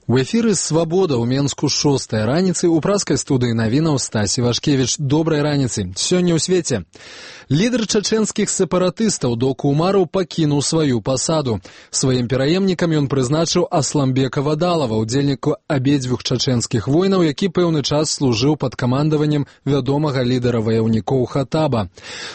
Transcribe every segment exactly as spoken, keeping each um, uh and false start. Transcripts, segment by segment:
У эфіры «Свабода» ў Менску шостая раніцы ў праскай студыі навінаў Стасі Вашкевіч. Добрай раніцы. Сёння ў свеце. Лідар чачэнскіх сепаратыстаў Доку Умараў пакінуў сваю пасаду. Сваім пераемнікам ён прызначыў Асламбека Вадалава, удзельніка абедзвюх чачэнскіх войнаў, які пэўны час служыў пад камандаваннем вядомага лідара ваяўнікоў Хатаба.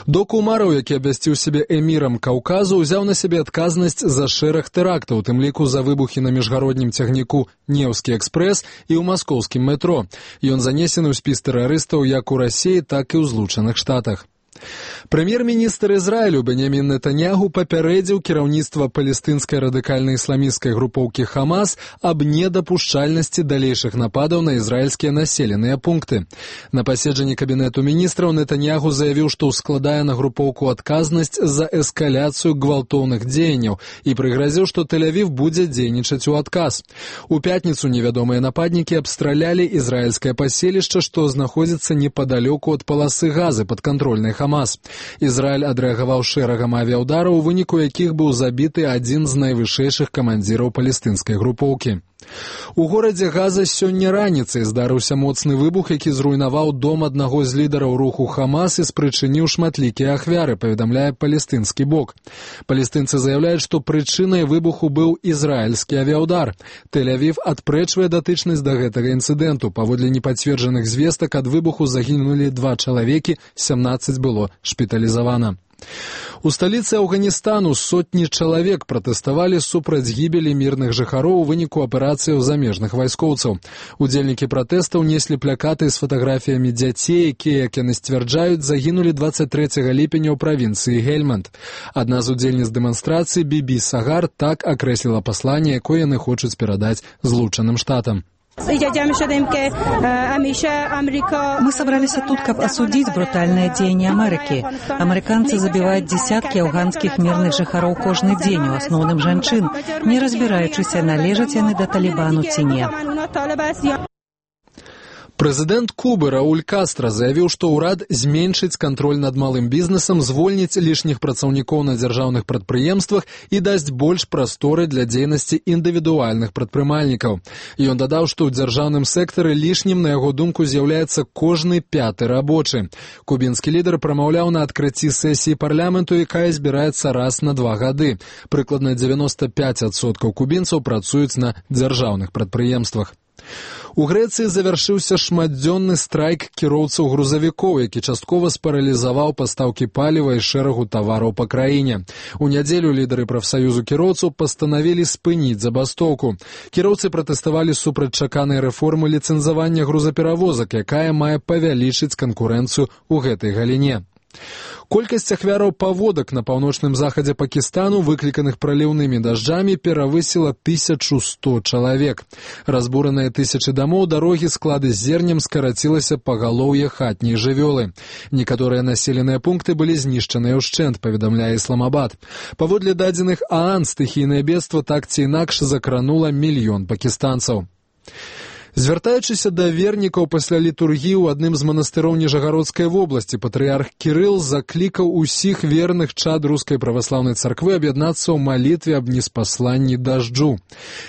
Доку Умараў, які абвясціў сябе эмірам Каўказу, узяў на сябе адказнасць за шэраг тэрактаў, у тым ліку за выбухі на міжгароднім цягніку Неўскі экспрэс і ў маскоўскім метро. Ён занесены ў спіс тэрарыстаў як у Расіі, так і ў Злучаных Штатах. Прэм'ер-міністр Ізраілю Беньямін Нетаньягу папярэдзіў кіраўніцтва палестынскай радыкальна-ісламісцкай групоўкі Хамас аб недапушчальнасці далейшых нападаў на ізраільскія населеныя пункты. На паседжанні кабінету міністраў Нетаньягу заявіў, што ўскладае на групоўку адказнасць за эскаляцыю гвалтоўных дзеянняў і прыгразіў, што Тель-Авів будзе дзейнічаць у адказ. У пятніцу невядомыя нападнікі абстралялі ізраільскае паселішча, што знаходзіцца непадалёку ад паласы газы падкантрольнай Хамас. Ізраіль адрэагаваў шэрагам авіаўдараў, у выніку якіх быў забіты адзін з найвышэйшых камандзіраў палестынскай групоўкі. У горадзе Газа сёння раніцай здарыўся моцны выбух, які зруйнаваў дом аднаго з лідараў руху Хамас і спрычыніў шматлікія ахвяры, паведамляе палестынскі бок. Палестынцы заяўляюць, што прычынай выбуху быў ізраільскі авіаўдар. Тель-Авів адпрэчвае датычнасць да гэтага інцыдэнту. Паводле непацверджаных звестак ад выбуху загінулі два чалавекі, сямнаццаць было шпіталізавана. У сталіцы Афганістану сотні чалавек пратэставалі супраць гібелі мірных жыхароў у выніку аперацыяў замежных вайскоўцаў. Удзельнікі пратэстаў неслі плакаты з фатаграфіямі дзяцей, якія, як яны сцвярджаюць, загінулі дваццаць трэцяга ліпеня ў правінцыі Гельманд. Адна з удзельніц дэманстрацыі, Бібі Сагар, так акрэсліла пасланне, якое яны хочуць перадаць Злучаным Штатам. Мы собрались тут, чтобы осудить брутальное деяние Америки. Американцы забивают десятки афганских мирных жыхароў кожны дзень, у асноўным жанчын, не разбираючыся, належаць яны да Талібану ці не. Прэзідэнт Кубы Рауль Кастра заявіў, што ўрад зменшыць кантроль над малым бізнесам, звольніць лішніх працаўнікоў на дзяржаўных прадпрыемствах і дасць больш прасторы для дзейнасці індывідуальных прадпрымальнікаў. Ён дадаў, што ў дзяржаўным сектары лішнім, на яго думку, з'яўляецца кожны пяты рабочы. Кубінскі лідар прамаўляў на адкрыцці сесіі парламенту, якая збіраецца раз на два гады. Прыкладна дзевяноста пяць адсоткаў кубінцаў працуюць на дзяржаўных прадпрыемствах. У Грэцыі завяршыўся шматдзённы страйк кіроўцаў грузавікоў, які часткова спаралізаваў пастаўкі паліва і шэрагу тавараў па краіне. У нядзелю лідары прафсаюзу кіроўцаў пастанавілі спыніць забастоўку. Кіроўцы пратэставалі супраць чаканай рэформы ліцэнзавання грузаперавозак, якая мае павялічыць канкурэнцыю ў гэтай галіне. Колькасць ахвяраў паводак на паўночным захадзе Пакістану, выкліканых праліўнымі дажджамі, перавысіла тысячу сто чалавек. Разбураныя тысячы дамоў, дарогі, склады з зернем, скарацілася пагалоўе хатняй жывёлы. Некаторыя населеныя пункты былі знішчаныя ўшчэнт, паведамляе Ісламабад. Паводле дадзеных ААН, стыхійнае бедства так ці інакш закранула мільён пакістанцаў. Звяртаючыся да вернікаў пасля літургіі ў адным з манастыроў Ніжагародскай вобласці, патрыярх Кірыл заклікаў усіх верных чад рускай праваслаўнай царквы аб'яднацца ў малітве аб неспасланні дажджу.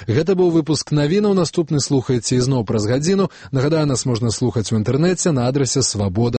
Гэта быў выпуск навінаў, наступны слухайце ізноў праз гадзіну. Нагадаю, нас можна слухаць у інтэрнэце на адрасе свабода.